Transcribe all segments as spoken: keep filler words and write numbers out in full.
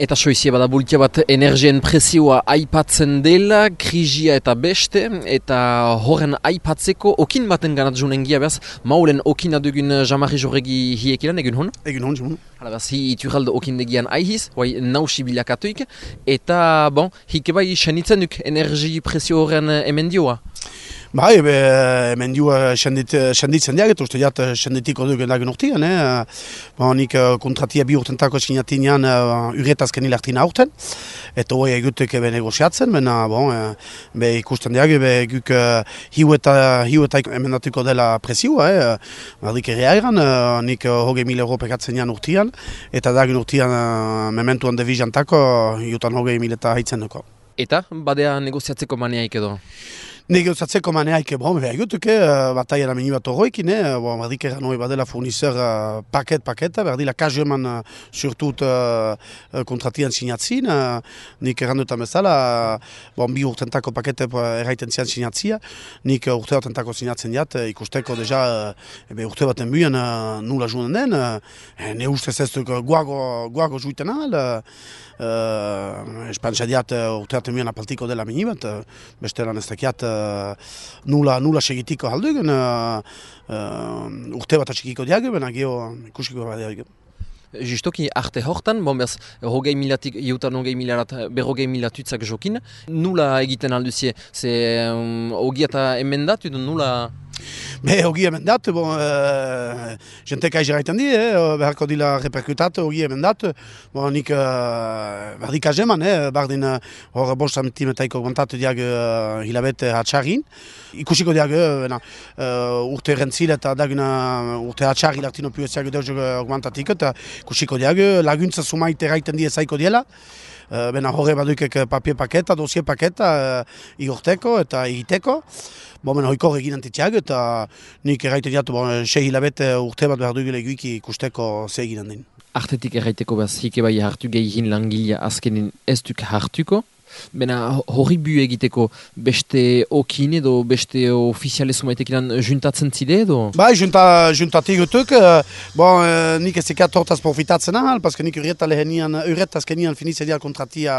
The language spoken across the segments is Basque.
Eta soizie bada bultia bat energien presioa aipatzen dela, krisia eta beste, eta horren aipatzeko okin baten ganat junen gia behaz, maulen okina dugun Jean-Marie Jorregi hiekilan, egun hon? Egun hon, egun hon. Hala behaz, hi iturraldo okin degian aihiz, bai nausi bilakatuik, eta bon, hike bai senitzen duk energi presio horren emendioa. Bai, ebe, hemen dioa senditzen diak, eta uste jat senditiko duk lagun urtean. Eh? Ba, nik kontratia bi urtentako sinatinean uh, uretazken hilartina aurten, eta hori egutek ebe negoziatzen, bena bon, be ikusten diak, ebe guk uh, hiu eta hiu eta emendatuko dela presioa, eh? Bardik ere airan, uh, nik uh, hogei mil euro pekatzen jan urtean, eta dagun urtean uh, mementuan devizantako, jutan hogei mil eta haitzen duko. Eta, badea negoziatzeko maneaik edo? Negoziatzeko maneaik, bon, behar gutuke, uh, bataia da meni bat horroikin, eh? Bon, bardik eran hori badela fournisseur uh, paket-paketa, berdila kajeman uh, surtut uh, kontratian sinatzin, uh, nik eran dutan bezala, uh, bon, bi urtentako pakete erraiten zian sinatzia, nik uh, urte batentako sinatzen diat, uh, ikusteko deja, uh, ebe urte baten buien uh, nula junen den, uh, ne ustez ez duk guago, guago juiten ahal, uh, uh, espantza diat uh, urte baten buien apaltiko dela meni bat, uh, beste lan ez dakiat, Uh, nula, nula segitiko haldugen, uh, uh, urte bat atxikiko diage, bena geho ikusiko bat diage. Justoki arte hortan, bon bez, hogei milatik, iutan hogei milarat, berrogei milatutzak jokin, nula egiten alduzie, ze um, hogi eta emendatu, nula... Be, hogi emendat, bon, uh, jentek aiz erraiten di, eh, beharko dila reperkutat, hogi emendat, bon, nik uh, bardik azeman, eh, bardin hor uh, bost santimetaiko augmentatu diag uh, hilabete hatxarrin. Ikusiko diag, uh, uh, urte rentzil eta daguna urte hatxarri lartino piuetziak deus augmentatik, eta ikusiko diag, laguntza sumait erraiten di ezaiko diela. Uh, bena horre badukek papier paketa, dossier paketa, uh, igorteko eta egiteko. Bo, bena hoikor egin antitxeak eta nik erraiten diatu, bon, sei hilabete urte bat behar dugile egiki ikusteko ze egin handin. Artetik erraiteko behaz, hike bai hartu gehiagin langilea azkenin ez duk hartuko. Bena horri bu egiteko beste okin edo beste ofiziale sumaitekilan juntatzen zide edo? Bai, junta, juntatik gutuk. Bon, nik ez ekat hortaz profitatzen ahal, paske nik urreta lehenian, urreta azkenian finitzen dial kontratia,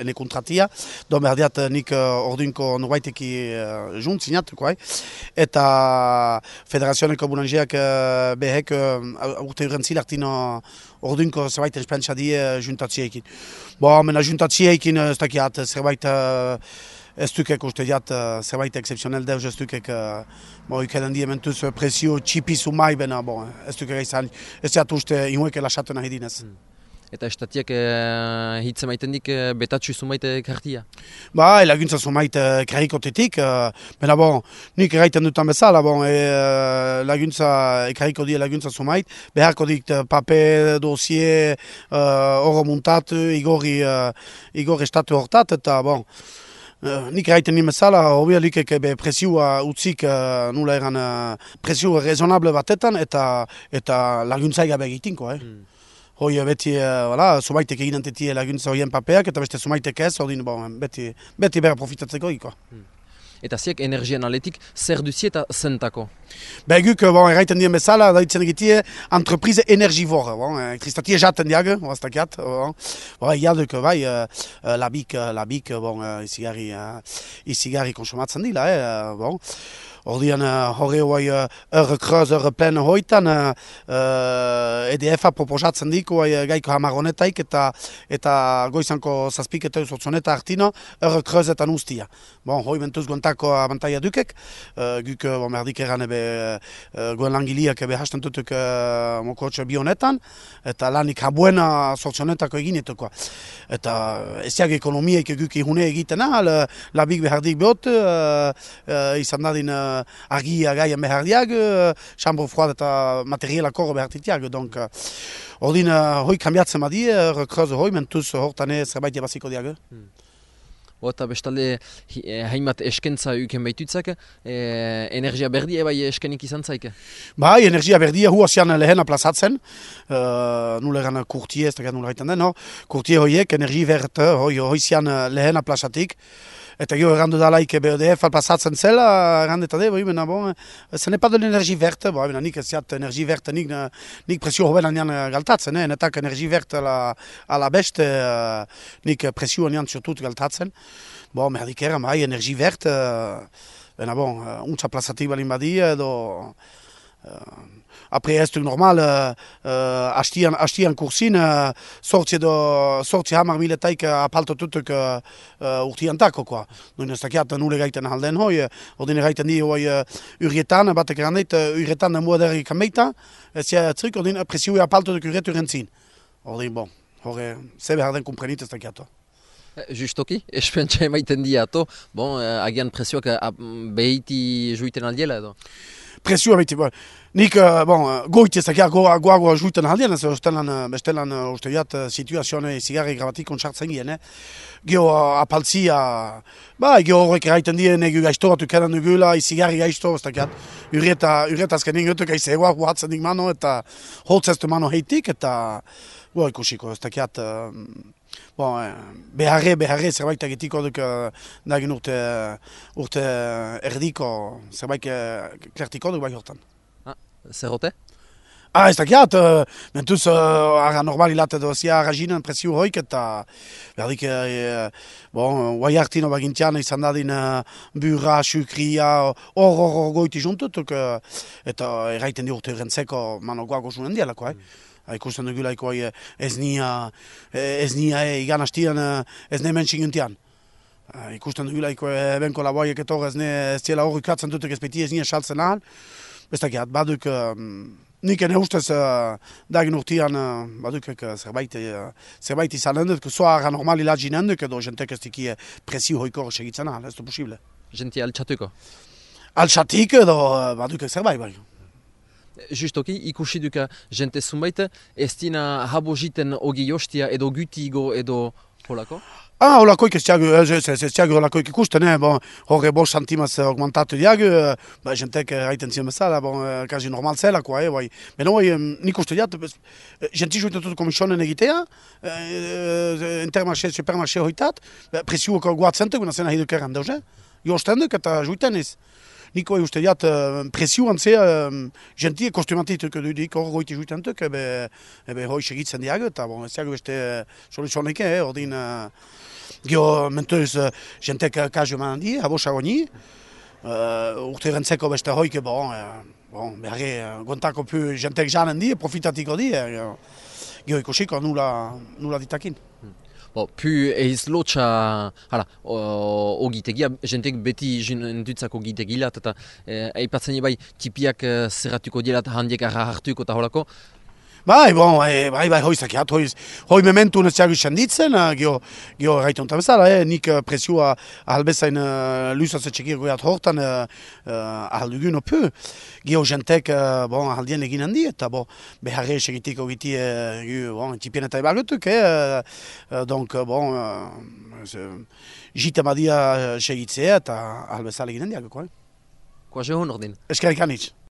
ene kontratia. Do behar diat nik orduinko norbaiteki uh, junt zinatuko, eh? Eta Federazioneko Bulangeak uh, behek uh, urte urrentzil artino orduinko zerbait espentsa die juntatzieekin. Bo, mena juntatzieekin ez dakiat zerbait uh, ez dukek uste diat uh, zerbait excepzionel deus ez dukek uh, bo, ikeden die mentuz presio txipi sumai bena, bo, ez dukek izan, ez diat uste inueke lasatu nahi dinez. Hmm. Eta estatiak eh, hitze maiten dik eh, betatxu sumaite kartia? Ba, laguntza sumaite ekarrikotetik, uh, bena bon, nik erraiten dutan bezala, bon, e, laguntza, ekarriko die laguntza sumait, beharko dik pape, dossier, oro uh, muntat, igorri, uh, igorri estatu hortat, eta bon, Uh, nik erraiten nien bezala, hobia likek presioa utzik uh, nula eran uh, presio rezonable batetan eta, eta laguntza egabe egitinko, eh? Mm. Hoi beti, uh, sumaitek egin antetie laguntza horien papeak, eta beste sumaitek ez, ordin, bon, beti, beti bera profitatzeko iko. Hmm. Eta ziek energian aletik, zer duzi eta zentako? Beguk, bon, erraiten dien bezala, daitzen egitie, entreprise energivore, bon, kristatie jaten diag, oaztakiat, bon, bon, iaduk, bai, uh, labik, labik, bon, izigarri, uh, izigarri konsumatzen dila, eh, bon. Ordian horre hoi erre kreuz, erre plen hoitan E D F-a proposatzen diko gaiko hamar honetaik eta eta goizanko zazpik eta eusotzoneta hartino erre kreuzetan ustia. Bon, hoi mentuz guantako abantaia dukek, uh, guk bon, merdik eran ebe uh, goen langiliak ebe hasten tutuk uh, mokotxe bi honetan, eta lanik habuena sortzonetako eginetuko. Eta eziak ekonomiaik guk ihune egiten ahal, labik behardik behot, uh, uh, izan dadin uh, argia gaien behar diag, chambre froide eta materiela korro behar titiag. Donc, ordin, hoi kambiatzen badi, rekreuz hoi, mentuz hortane zerbait ebaziko diag. Hmm. Eta bestalde, haimat eskentza uken baitutzak, eh, energia berdia bai eskenik izan zaik? Bai, energia berdia huazian lehena plazatzen, uh, nule eran kurtie, ez da nule haiten den, no? Kurtie hoiek, energi verte, hoi, hoizian lehena plazatik, Eta gero errandu dalaik B O D F pasatzen zela, errandeta de, bena, bon, ce n'est pas de l'énergie verte, bon, bena, nik ez ziat energie verte, nik, nik presio hoben anian galtatzen, eh? Netak energie verte ala, ala beste, uh, nik presio anian surtut galtatzen. Bon, merdik eran, bai, energie verte, uh, bena, bon, uh, untza plazatik balin badi, edo... Uh, Apre ez duk normal, uh, uh, hastian, hastian kursin, uh, sortzi edo, sortzi hamar miletaik apaltotutuk uh, uh, urtiantako, koa. Noin ez dakiat nule gaiten halden hoi, ordine gaiten di hoi uh, urietan, batek erandeit, uh, urietan muaderi kameita, ez ja trik, ordine presioi apaltotuk uret urentzin. Ordine, bon, hori, zebe harden kumprenit ez dakiat. Justoki, espentsa emaiten diato, bon, uh, agian presioak uh, behiti juiten aldiela edo? Presioa behiti, bon. Nik, uh, bon, goit ez dakiat goa goa goa juiten aldian, ez bestelan, bestelan uh, uste diat uh, situazioane zigarri grabatik ontsartzen gien, eh? Geo uh, apaltzia, ba, geo horrek eraiten dien egu gaiztoratu kenan dugula, izigarri gaizto, ez dakiat, ureta, ureta azkenin gotuk aizegoa guatzen dik mano, eta holtzeztu mano heitik, eta goa ikusiko, ez dakiat, uh, bon, beharre, beharre, zerbait egitiko duk nagin urte, urte erdiko, zerbait klertiko duk bai hortan. Ah, zerrote? Ah, ez dakiat, uh, mentuz uh, ara normal hilate dozia araginen presio hoik eta berdik, uh, bon, guai hartino bagintian izan dadin uh, burra, sukria, hor hor hor goiti juntutuk, uh, eta erraiten di urte rentzeko mano guago zunen dialako, eh? Mm. Ikusten dugulaiko ez nia, ez nia e, igan hastian ez ne mentxinguntian. Ikusten dugulaiko benko laboaiek etor ez ne ez ziela horri katzen dutek ez beti ez nia saltzen ahal. Bestakiat, baduk, nik ene ustez dagin urtian baduk zerbait, zerbait izan handut, zoa ara normali lagin handuk edo jentek ez diki presio hoiko segitzen ahal, ez du posible. Jenti altxatuko? Altxatik edo baduk zerbait bai. Justoki, ikusi duka jente zunbait, ez dina habo jiten ogi jostia edo gutigo edo holako? Ah, holakoik ez tiago, ez tiago holakoik ikusten, eh? Bon, horre bost santimaz augmentatu diago, ba, jentek haiten ziren bezala, bon, kazi normal zela, koa, eh, bai. Beno, bai, nik uste diat, jenti juiten dut komisionen egitea, intermarché, supermarché hoitat, presiuak guatzentek, guna zena hiduk erran dauze, jostenduk eta juiten ez. Niko uste diat presioan zea jentie kostumatik dudik hor goiti juitentuk, ebe, ebe hoi segitzen diago, eta bon, ez diago beste soluzionek, eh, ordin geho mentuz jentek kazu eman di, abosa goni, uh, urte rentzeko beste hoike, bon, bon, beharre, gontako pu jentek janen di, profitatiko di, geho ikusiko nula, nula ditakin. Bo, pu eiz lotxa, hala, ogitegia, jentek beti jentutzak ogitegilat, eta eipatzen bai tipiak zerratuko dielat handiek arra hartuko eta holako. Bai, bon, bai, bai, hoi zakiat, hoi, hoi mementu neziago senditzen, geho, geho erraiten onta bezala, eh, nik presioa ahalbezain uh, lusatze txekir goiat hortan uh, ahaldugun opu, geho jentek, uh, bon, ahaldien egin handi, eta bo, beharre segitiko giti, uh, bon, tipien eta ebagutuk, eh, uh, donc, bon, uh, jite madia segitzea eta ahalbezala egin handiak, eh? Koa jehon ordin? Eskerrik anitz.